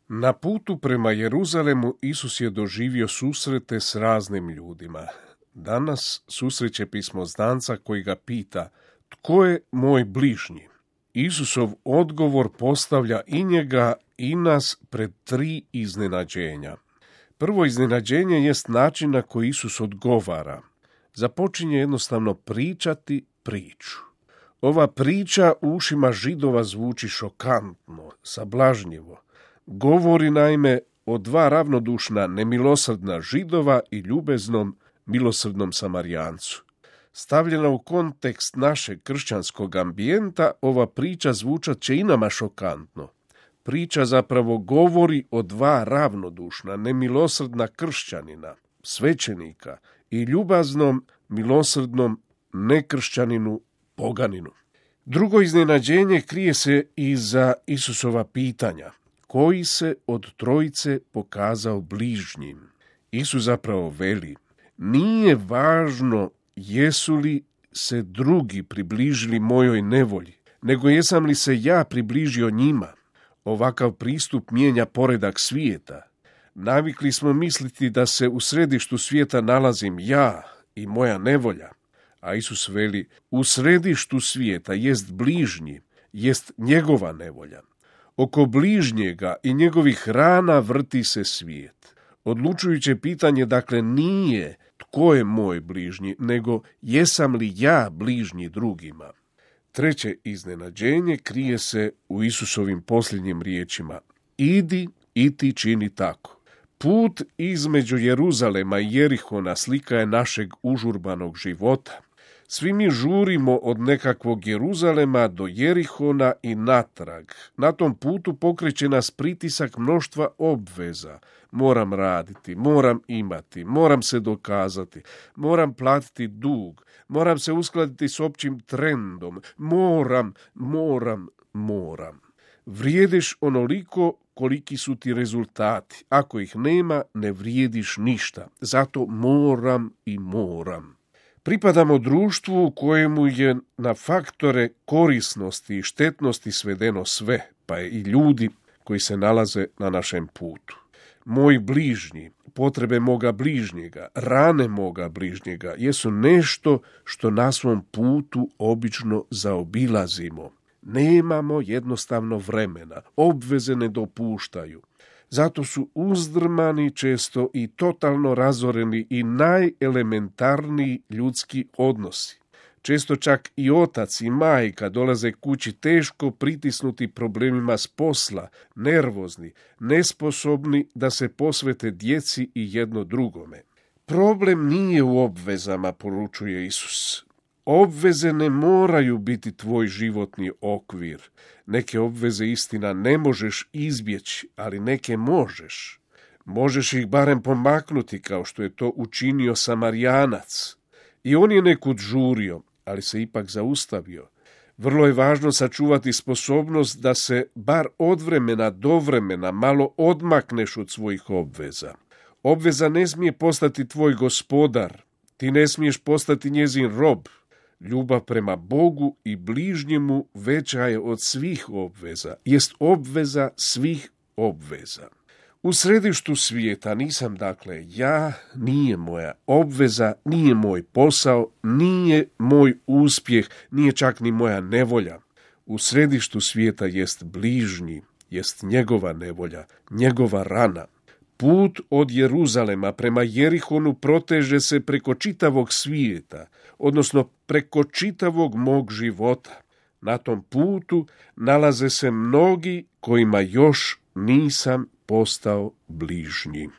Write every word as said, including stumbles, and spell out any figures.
Na putu prema Jeruzalemu Isus je doživio susrete s raznim ljudima. Danas susreće pismoznanca koji ga pita: tko je moj bližnji? Isusov odgovor postavlja i njega i nas pred tri iznenađenja. Prvo iznenađenje jest način na koji Isus odgovara. Započinje jednostavno pričati priču. Ova priča u ušima Židova zvuči šokantno, sablažnjivo. Govori naime o dva ravnodušna, nemilosrdna Židova i ljubeznom, milosrdnom Samarijancu. Stavljena u kontekst našeg kršćanskog ambijenta, ova priča zvučat će i nama šokantno. Priča zapravo govori o dva ravnodušna, nemilosrdna kršćanina, svećenika i ljubaznom, milosrdnom nekršćaninu, poganinu. Drugo iznenađenje krije se iza Isusova pitanja. Koji se od trojice pokazao bližnjim? Isus zapravo veli: nije važno jesu li se drugi približili mojoj nevolji, nego jesam li se ja približio njima. Ovakav pristup mijenja poredak svijeta. Navikli smo misliti da se u središtu svijeta nalazim ja i moja nevolja, a Isus veli: u središtu svijeta jest bližnji, jest njegova nevolja. Oko bližnjega i njegovih rana vrti se svijet. Odlučujuće pitanje dakle nije tko je moj bližnji, nego jesam li ja bližnji drugima. Treće iznenađenje krije se u Isusovim posljednjim riječima: idi i ti čini tako. Put između Jeruzalema i Jerihona slika je našeg užurbanog života. Svi mi žurimo od nekakvog Jeruzalema do Jerihona i natrag. Na tom putu pokreće nas pritisak mnoštva obveza. Moram raditi, moram imati, moram se dokazati, moram platiti dug, moram se uskladiti s općim trendom, moram, moram, moram. Vrijediš onoliko koliki su ti rezultati. Ako ih nema, ne vrijediš ništa. Zato moram i moram. Pripadamo društvu u kojemu je na faktore korisnosti i štetnosti svedeno sve, pa i ljudi koji se nalaze na našem putu. Moj bližnji, potrebe moga bližnjega, rane moga bližnjega jesu nešto što na svom putu obično zaobilazimo. Nemamo jednostavno vremena, obveze ne dopuštaju. Zato su uzdrmani često i totalno razoreni i najelementarniji ljudski odnosi. Često čak i otac i majka dolaze kući teško pritisnuti problemima s posla, nervozni, nesposobni da se posvete djeci i jedno drugome. Problem nije u obvezama, poručuje Isus. Obveze ne moraju biti tvoj životni okvir. Neke obveze, istina, ne možeš izbjeći, ali neke možeš. Možeš ih barem pomaknuti, kao što je to učinio Samarijanac. I on je nekud žurio, ali se ipak zaustavio. Vrlo je važno sačuvati sposobnost da se bar od vremena do vremena malo odmakneš od svojih obveza. Obveza ne smije postati tvoj gospodar. Ti ne smiješ postati njezin rob. Ljubav prema Bogu i bližnjemu veća je od svih obveza, jest obveza svih obveza. U središtu svijeta nisam dakle ja, nije moja obveza, nije moj posao, nije moj uspjeh, nije čak ni moja nevolja. U središtu svijeta jest bližnji, jest njegova nevolja, njegova rana. Put od Jeruzalema prema Jerihonu proteže se preko čitavog svijeta, odnosno preko čitavog mog života. Na tom putu nalaze se mnogi kojima još nisam postao bližnji.